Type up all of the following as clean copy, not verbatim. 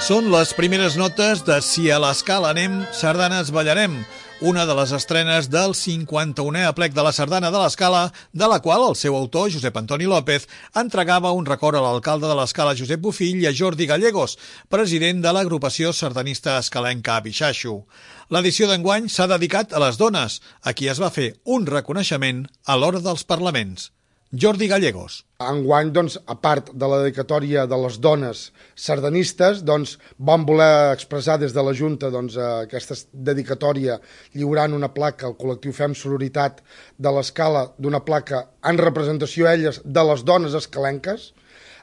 Són les primeres notes de Si a l'escala anem, sardanes ballarem, una de les estrenes del 51è aplec de la Sardana de l'Escala, de la qual el seu autor, Josep Antoni López, entregava un record a l'alcalde de l'Escala, Josep Bofill, i a Jordi Gallegos, president de l'agrupació sardanista escalenca Abixaixo. L'edició d'enguany s'ha dedicat a les dones, a qui es va fer un reconeixement a l'hora dels parlaments. Jordi Gallegos. Enguany, a part de la dedicatòria de les dones sardanistes, vam voler expressar des de la Junta aquesta dedicatòria lliurant una placa al col·lectiu Fem Sororitat de l'Escala, d'una placa en representació a elles de les dones escalenques.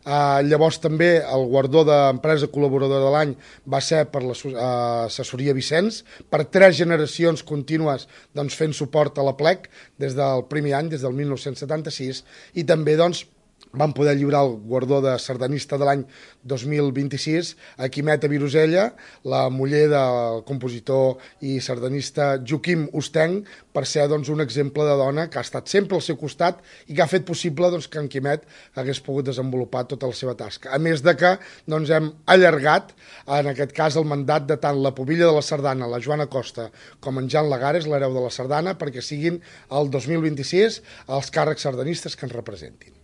Llavors també el guardó d'empresa col·laboradora de l'any va ser per l'assessoria Vicenç, per 3 generacions contínues fent suport a l'Aplec des del primer any, des del 1976, i també vam poder lliurar el guardó de sardanista de l'any 2026 a Quimeta Virosella, la muller del compositor i sardanista Joaquim Ustenc, per ser un exemple de dona que ha estat sempre al seu costat i que ha fet possible que en Quimet hagués pogut desenvolupar tota la seva tasca. A més de que hem allargat, en aquest cas, el mandat de tant la pubilla de la sardana, la Joana Costa, com en Jan Lagares, l'hereu de la sardana, perquè siguin el 2026 els càrrecs sardanistes que ens representin.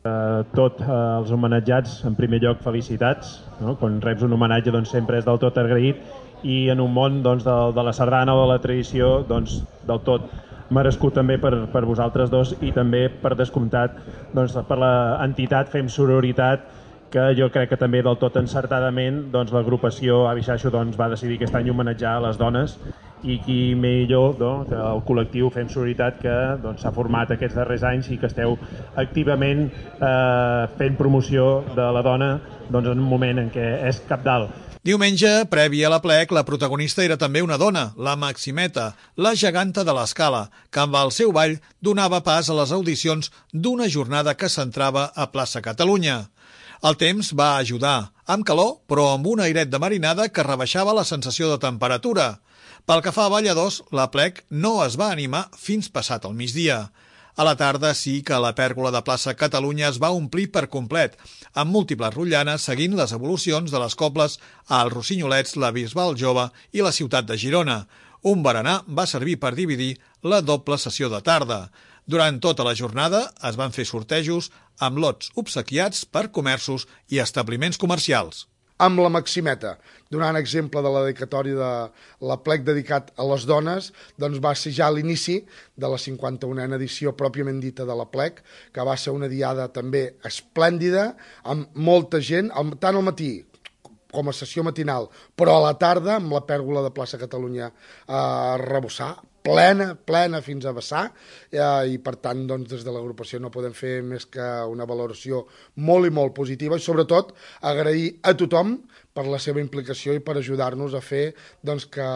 Tots els homenatjats, en primer lloc, felicitats. Quan reps un homenatge sempre és del tot agraït, i en un món de la sardana o de la tradició del tot merescut també per vosaltres dos, i també per descomptat per l'entitat Fem Sororitat, que jo crec que també del tot encertadament l'agrupació Abixaixo va decidir aquest any homenatjar a les dones, i qui millor que el col·lectiu Fem Sororitat, que s'ha format aquests darrers anys i que esteu activament fent promoció de la dona en un moment en què és cabdal. Diumenge, previ a l'Aplec, la protagonista era també una dona, la Maximeta, la geganta de l'Escala, que amb el seu ball donava pas a les audicions d'una jornada que s'entrava a Plaça Catalunya. El temps va ajudar, amb calor, però amb un airet de marinada que rebaixava la sensació de temperatura. Pel que fa a balladors, l'Aplec no es va animar fins passat el migdia. A la tarda sí que la pèrgola de Plaça Catalunya es va omplir per complet, amb múltiples rotllanes seguint les evolucions de les cobles als Rossinyolets, la Bisbal Jove i la ciutat de Girona. Un berenar va servir per dividir la doble sessió de tarda. Durant tota la jornada es van fer sortejos amb lots obsequiats per comerços i establiments comercials. Amb la Maximeta, donant exemple de la dedicatòria de l'Aplec dedicat a les dones, va ser ja l'inici de la 51a edició pròpiament dita de l'Aplec, que va ser una diada també esplèndida, amb molta gent, tant al matí com a sessió matinal, però a la tarda, amb la pèrgola de Plaça Catalunya a rebossar, plena fins a vessar, i per tant des de l'agrupació no podem fer més que una valoració molt i molt positiva, i sobretot agrair a tothom per la seva implicació i per ajudar-nos a fer que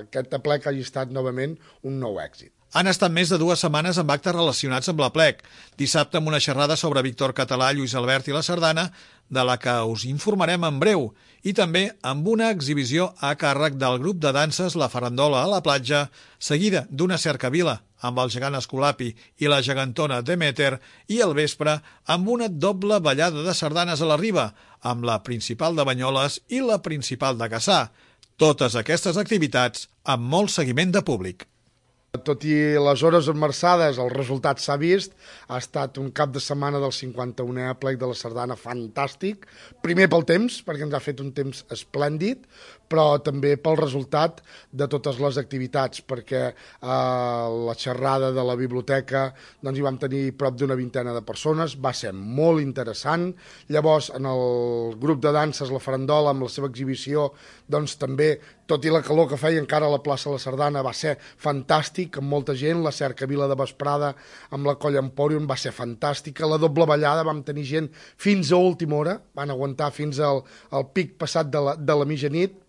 aquest aplec hagi estat novament un nou èxit. Han estat més de 2 setmanes amb actes relacionats amb l'Aplec. Dissabte amb una xerrada sobre Víctor Català, Lluís Albert i la sardana, de la que us informarem en breu, i també amb una exhibició a càrrec del grup de danses La Farandola a la platja, seguida d'una cercavila amb el gegant Escolapi i la gegantona Demeter, i al vespre amb una doble ballada de sardanes a la Riba, amb la principal de Banyoles i la principal de Cassà. Totes aquestes activitats amb molt seguiment de públic. Tot i les hores esmerçades, el resultat s'ha vist. Ha estat un cap de setmana del 51è aplec de la sardana fantàstic. Primer pel temps, perquè ens ha fet un temps esplèndid, però també pel resultat de totes les activitats, perquè la xerrada de la biblioteca hi vam tenir prop d'una vintena de persones, va ser molt interessant. Llavors, en el grup de danses La Farandola, amb la seva exhibició, també, tot i la calor que feia encara a la plaça de la Sardana, va ser fantàstic, amb molta gent. La cercavila de vesprada amb la Colla Empòrium va ser fantàstica. La doble ballada vam tenir gent fins a última hora, van aguantar fins al pic passat de la mitjanit.